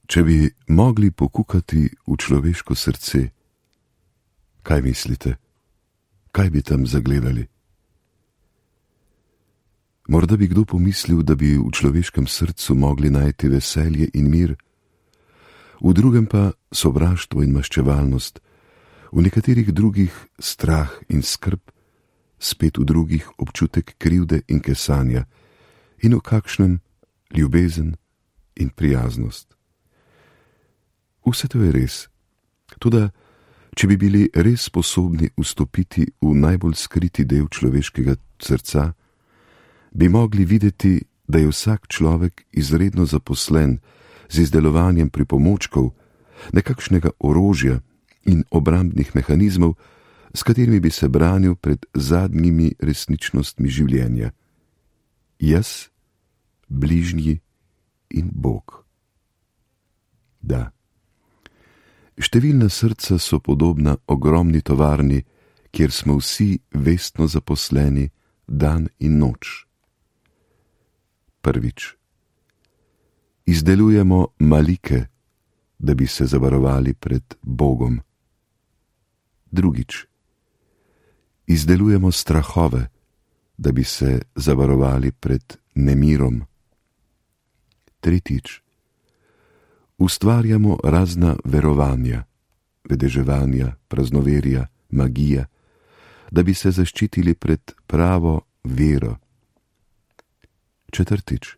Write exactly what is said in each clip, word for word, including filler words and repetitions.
Če bi mogli pokukati v človeško srce, kaj mislite? Kaj bi tam zagledali? Morda bi kdo pomislil, da bi v človeškem srcu mogli najti veselje in mir, v drugem pa sovraštvo in maščevalnost, v nekaterih drugih strah in skrb, spet v drugih občutek krivde in kesanja in v kakšnem ljubezen in prijaznost. Vse to je res, toda če bi bili res sposobni vstopiti v najbolj skriti del človeškega srca, bi mogli videti, da je vsak človek izredno zaposlen z izdelovanjem pripomočkov, nekakšnega orožja in obrambnih mehanizmov, s katerimi bi se branil pred zadnjimi resničnostmi življenja. Jaz, bližnji in Bog. Da. Številna srca so podobna ogromni tovarni, kjer smo vsi vestno zaposleni dan in noč. Prvič. Izdelujemo malike, da bi se zavarovali pred Bogom. Drugič. Izdelujemo strahove, da bi se zavarovali pred nemirom. Tretjič. Ustvarjamo razna verovanja, vedeževanja, praznoverja, magija, da bi se zaščitili pred pravo vero. Četrtič.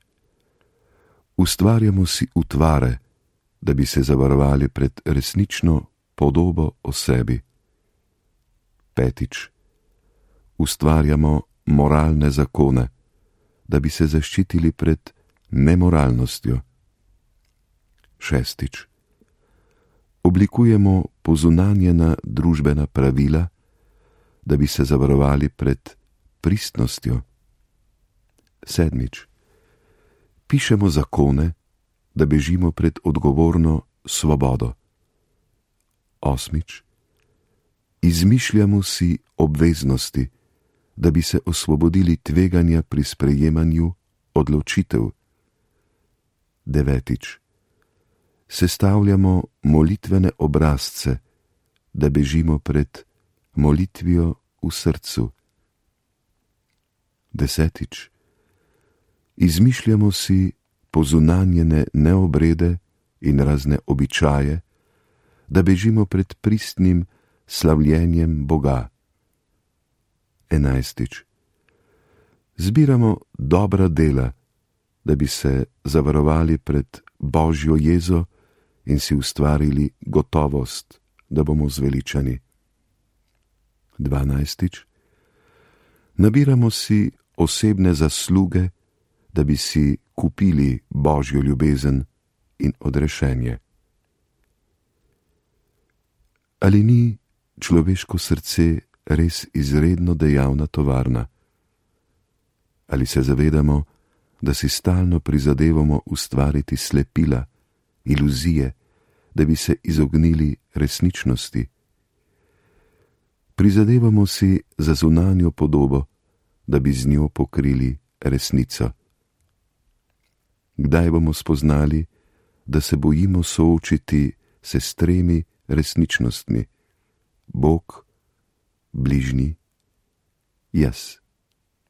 Ustvarjamo si utvare, da bi se zavarovali pred resnično podobo o sebi. Petič. Ustvarjamo moralne zakone, da bi se zaščitili pred nemoralnostjo. Šestič. Oblikujemo pozunanjena družbena pravila, da bi se zavarovali pred pristnostjo. Sedmič. Pišemo zakone, da bežimo pred odgovorno svobodo. Osmič. Izmišljamo si obveznosti, da bi se osvobodili tveganja pri sprejemanju odločitev. Devetič. Sestavljamo molitvene obrazce, da bežimo pred molitvijo v srcu. Desetič. Izmišljamo si pozunanjene neobrede in razne običaje, da bežimo pred pristnim slavljenjem Boga. Enajstič. Zbiramo dobra dela, da bi se zavarovali pred Božjo jezo in si ustvarili gotovost, da bomo zveličani. Dvanajstič. Nabiramo si osebne zasluge, da bi si kupili Božjo ljubezen in odrešenje. Ali ni človeško srce res izredno dejavna tovarna? Ali se zavedamo, da si stalno prizadevamo ustvariti slepila, iluzije, da bi se izognili resničnosti? Prizadevamo si za zunanjo podobo, da bi z njo pokrili resnico. Kdaj bomo spoznali, da se bojimo soočiti se s tremi resničnostmi: Bog, bližnji, jaz?